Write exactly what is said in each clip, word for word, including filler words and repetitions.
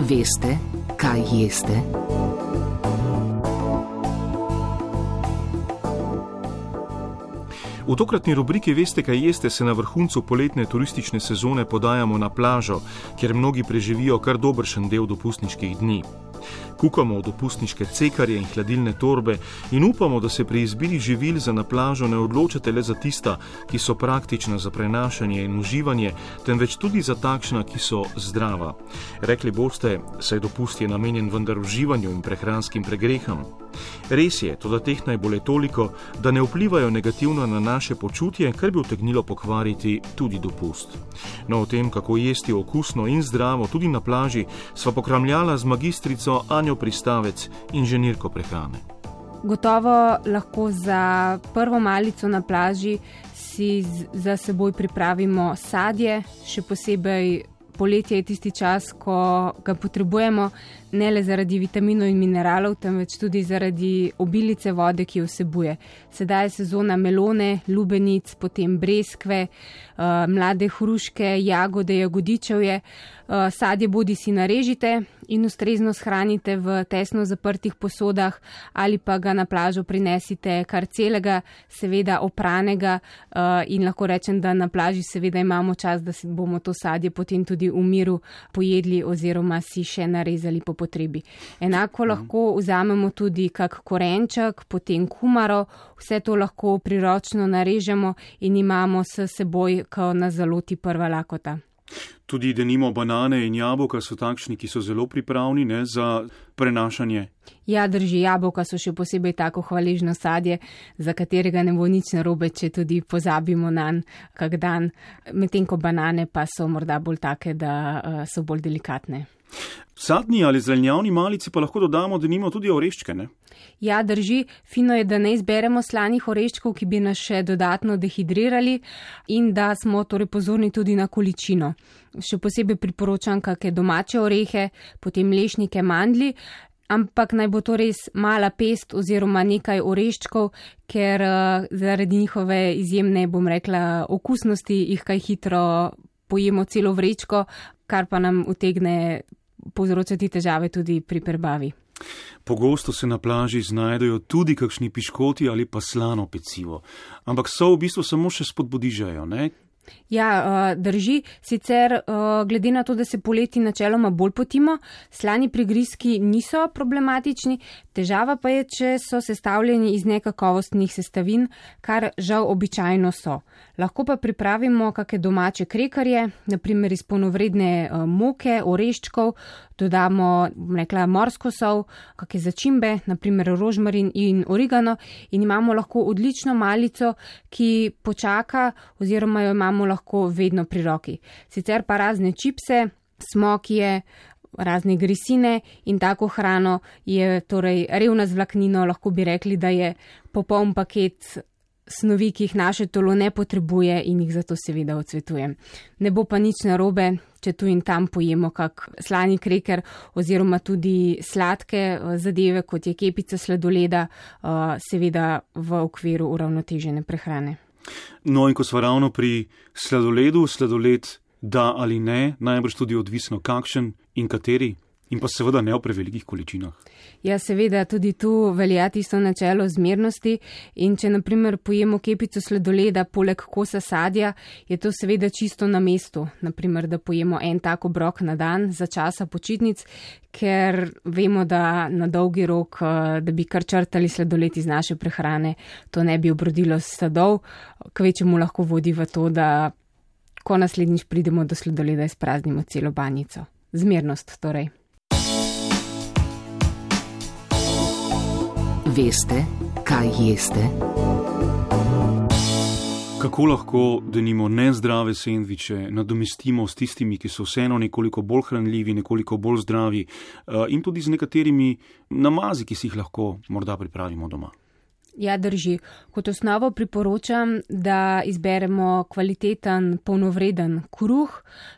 Veste, kaj jeste? V tokratni rubriki Veste, kaj jeste, se na vrhuncu poletne turistične sezone podajamo na plažo, kjer mnogi preživijo kar dobršen del dopustniških dni. Kukamo v dopustniške cekarje in hladilne torbe in upamo, da se pri izbiri živil za na plažo ne odločate le za tista, ki so praktična za prenašanje in uživanje, temveč tudi za takšna, ki so zdrava. Rekli boste, saj dopust je namenjen vendar uživanju in prehranskim pregreham. Res je, toda teh najbolj toliko, da ne vplivajo negativno na naše počutje, kar bi utegnilo pokvariti tudi dopust. No, o tem, kako jesti okusno in zdravo tudi na plaži, sva pokramljala z magistrico Anjo Pristavec, inženirko prehrane. Gotovo lahko za prvo malico na plaži si za seboj pripravimo sadje, še posebej poletje je tisti čas, ko ga potrebujemo, ne le zaradi vitaminov in mineralov, temveč tudi zaradi obilice vode, ki jo vsebuje. Sedaj je sezona melone, lubenic, potem breskve, mlade hruške, jagode, jagodičevje. Sadje bodi si narežite in ustrezno shranite v tesno zaprtih posodah ali pa ga na plažo prinesite kar celega, seveda opranega, in lahko rečem, da na plaži seveda imamo čas, da si bomo to sadje potem tudi v miru pojedli oziroma si še narezali po potrebi. Enako lahko vzamemo tudi kak korenček, potem kumaro, vse to lahko priročno narežemo in imamo s seboj, ko nas zaloti prva lakota. Tudi denimo banane in jabolka so takšni, ki so zelo pripravni, ne, za prenašanje. Ja, drži, jabolka so še posebej tako hvaležno sadje, za katerega ne bo nič narobe, če tudi pozabimo nanj kak dan, medtem ko banane pa so morda bolj take, da uh, so bolj delikatne. Sadni ali zelenjavni malici pa lahko dodamo denimo tudi oreščke, ne? Ja, drži, fino je, da ne izberemo slanih oreščkov, ki bi nas še dodatno dehidrirali in da smo torej pozorni tudi na količino. Še posebej priporočam kakšne domače orehe, potem lešnike, mandlji, ampak naj bo to res mala pest oziroma nekaj oreščkov, ker uh, zaradi njihove izjemne, bom rekla, okusnosti jih kaj hitro pojemo celo vrečko, kar pa nam utegne povzročati težave tudi pri prebavi. Pogosto se na plaži znajdejo tudi kakšni piškoti ali pa slano pecivo, ampak so v bistvu samo še spodbudižajo, ne? Ja, drži, sicer glede na to, da se poleti načeloma bolj potimo, slani prigrizki niso problematični, težava pa je, če so sestavljeni iz nekakovostnih sestavin, kar žal običajno so. Lahko pa pripravimo kakšne domače krekarje, naprimer iz polnovredne moke, oreščkov, dodamo, bom rekla, morsko sol, kakšne začimbe, naprimer rožmarin in origano in imamo lahko odlično malico, ki počaka oziroma jo imamo lahko vedno pri roki. Sicer pa razne čipse, smokije, razne grisine in tako hrano je torej revna z vlaknino, lahko bi rekli, da je popoln paket snovi, ki jih naše telo ne potrebuje in jih zato seveda odsvetujem. Ne bo pa nič narobe, če tu in tam pojemo kak slani kreker oziroma tudi sladke zadeve, kot je kepica sladoleda, seveda v okviru uravnotežene prehrane. No in ko smo ravno pri sladoledu, sladoled da ali ne, najbrž tudi odvisno kakšen in kateri. In pa seveda ne v prevelikih količinah. Ja, seveda, tudi tu velja tisto načelo zmernosti in če naprimer pojemo kepico sladoleda poleg kosa sadja, je to seveda čisto na mestu. Naprimer, da pojemo en tak obrok na dan za časa počitnic, ker vemo, da na dolgi rok, da bi kar črtali sladoled iz naše prehrane, to ne bi obrodilo sadov, kvečemu lahko vodi v to, da ko naslednjič pridemo do sladoleda, izpraznimo celo banjico. Zmernost torej. Veste, kaj jeste? Kako lahko denimo nezdrave sendviče nadomestimo s tistimi, ki so vseeno nekoliko bolj hranljivi, nekoliko bolj zdravi in tudi z nekaterimi namazi, ki si jih lahko morda pripravimo doma? Ja, drži. Kot osnovo priporočam, da izberemo kvaliteten, polnovreden kruh.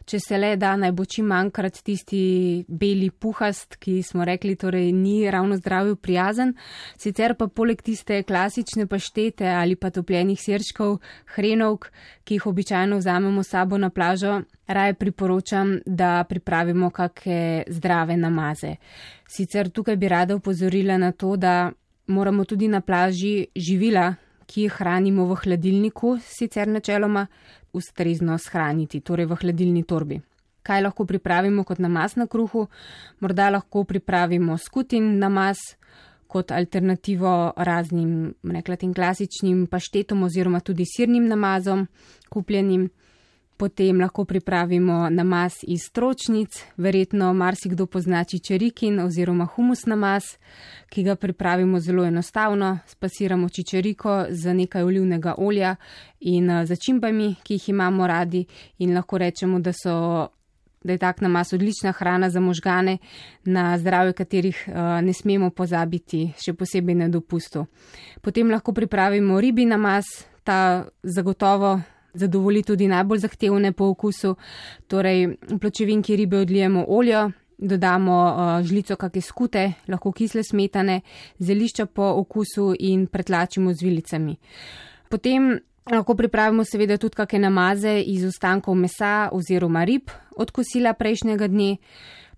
Če se le da, naj bo čim manjkrat tisti beli puhast, ki smo rekli, torej ni ravno zdravju prijazen. Sicer pa poleg tiste klasične paštete ali pa topljenih sirčkov, hrenovk, ki jih običajno vzamemo s sabo na plažo, raje priporočam, da pripravimo kakšne zdrave namaze. Sicer tukaj bi rada opozorila na to, da moramo tudi na plaži živila, ki jih hranimo v hladilniku, sicer načeloma ustrezno shraniti, torej v hladilni torbi. Kaj lahko pripravimo kot namaz na kruhu? Morda lahko pripravimo skutin namaz kot alternativo raznim, rekla tem klasičnim paštetom oziroma tudi sirnim namazom kupljenim. Potem lahko pripravimo namaz iz stročnic, verjetno marsikdo pozna čičerikin oziroma humus namaz, ki ga pripravimo zelo enostavno, spasiramo čičeriko z nekaj olivnega olja in začimbami, ki jih imamo radi in lahko rečemo, da, so, da je tak namaz odlična hrana za možgane, na zdravje katerih ne smemo pozabiti, še posebej na dopustu. Potem lahko pripravimo ribi namaz, ta zagotovo zadovoli tudi najbolj zahtevne po okusu, torej v pločevinki ribe odlijemo oljo, dodamo uh, žlico kakšne skute, lahko kisle smetane, zelišča po okusu in pretlačimo z vilicami. Potem lahko pripravimo seveda tudi kakšne namaze iz ostankov mesa oziroma rib od kosila prejšnjega dne.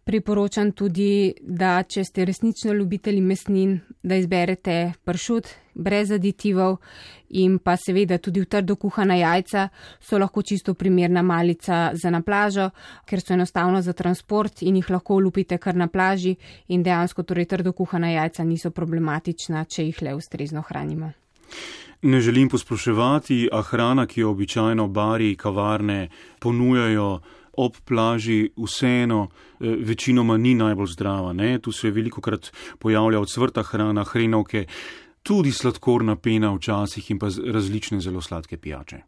Priporočam tudi, da če ste resnično ljubitelji mesnin, da izberete pršut brez aditivov in pa seveda tudi v trdo kuhana jajca so lahko čisto primerna malica za na plažo, ker so enostavno za transport in jih lahko olupite kar na plaži in dejansko torej trdo kuhana jajca niso problematična, če jih le ustrezno hranimo. Ne želim posploševati, a hrana, ki jo običajno bari, kavarne ponujajo ob plaži, vseeno večinoma ni najbolj zdrava. Ne? Tu se velikokrat pojavlja odsvrta hrana, hrenovke, tudi sladkorna pena včasih in pa različne zelo sladke pijače.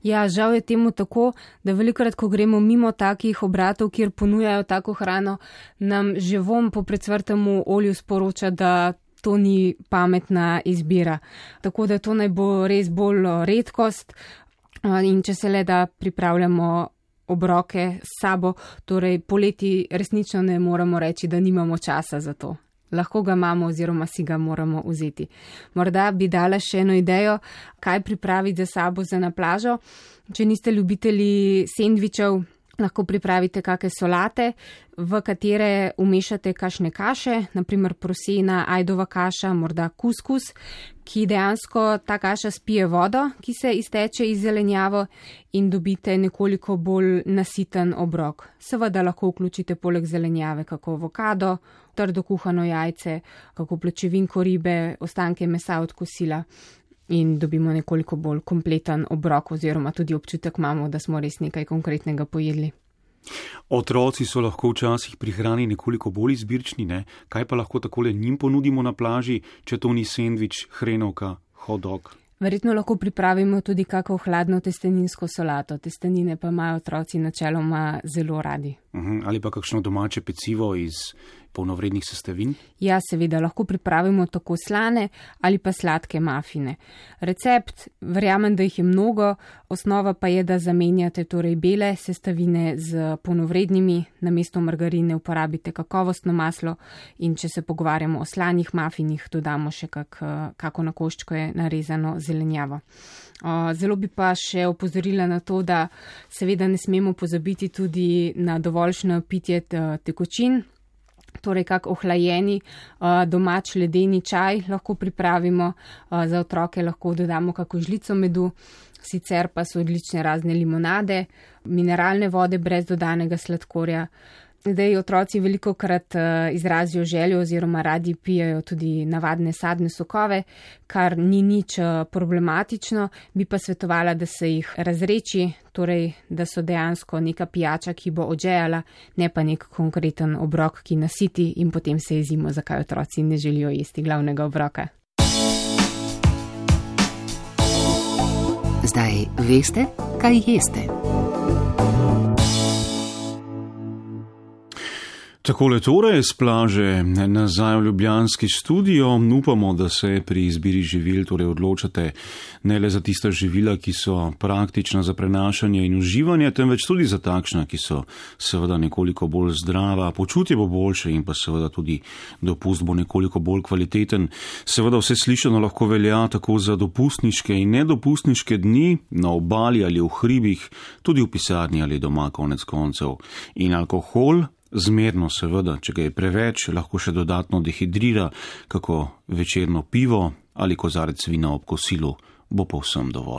Ja, žal je temu tako, da velikokrat, ko gremo mimo takih obratov, kjer ponujajo tako hrano, nam že vom po predsvrtemu olju sporoča, da to ni pametna izbira. Tako da to naj bo res bolj redkost in če se le da pripravljamo obroke s sabo, torej poleti resnično ne moramo reči, da nimamo časa za to. Lahko ga imamo oziroma si ga moramo vzeti. Morda bi dala še eno idejo, kaj pripraviti za sabo za na plažo. Če niste ljubitelji sendvičev, lahko pripravite kakšne solate, v katere umešate kakšne kaše, naprimer prosena, ajdova kaša, morda kuskus, ki dejansko ta kaša spije vodo, ki se izteče iz zelenjavo in dobite nekoliko bolj nasiten obrok. Seveda lahko vključite poleg zelenjave kako avokado, trdo kuhano jajce, kako pločevinko ribe, ostanke mesa od kosila in dobimo nekoliko bolj kompleten obrok oziroma tudi občutek imamo, da smo res nekaj konkretnega pojedli. Otroci so lahko včasih pri hrani nekoliko bolj izbirčni, ne? Kaj pa lahko takole njim ponudimo na plaži, če to ni sendvič, hrenovka, hot dog? Verjetno lahko pripravimo tudi kako hladno testeninsko solato. Testenine pa imajo otroci načeloma zelo radi. Uhum, ali pa kakšno domače pecivo iz polnovrednih sestavin? Ja, seveda, lahko pripravimo tako slane ali pa sladke mafine. Recept, verjamem, da jih je mnogo, osnova pa je, da zamenjate torej bele sestavine z polnovrednimi, namesto margarine uporabite kakovostno maslo in če se pogovarjamo o slanih mafinih, dodamo še kak, kako na koščko je narezano zelenjavo. Zelo bi pa še opozorila na to, da seveda ne smemo pozabiti tudi na dovoljšno pitje tekočin, torej kak ohlajeni domač ledeni čaj lahko pripravimo, za otroke lahko dodamo kako žlico medu, sicer pa so odlične razne limonade, mineralne vode brez dodanega sladkorja. Zdaj otroci velikokrat izrazijo željo oziroma radi pijajo tudi navadne sadne sokove, kar ni nič problematično, bi pa svetovala, da se jih razreči, torej da so dejansko neka pijača, ki bo odžejala, ne pa nek konkreten obrok, ki nasiti in potem se jezimo, zakaj otroci ne želijo jesti glavnega obroka. Zdaj veste, kaj jeste. Takole torej z plaže nazaj v ljubljanski studio. Upamo, da se pri izbiri živil torej odločate ne le za tista živila, ki so praktična za prenašanje in uživanje, temveč tudi za takšna, ki so seveda nekoliko bolj zdrava, počutje bo boljše in pa seveda tudi dopust bo nekoliko bolj kvaliteten. Seveda vse slišano lahko velja tako za dopustniške in nedopustniške dni na obali ali v hribih, tudi v pisarni ali doma konec koncev. In alkohol, zmerno seveda, če ga je preveč, lahko še dodatno dehidrira, kako večerno pivo ali kozarec vina ob kosilu bo povsem dovolj.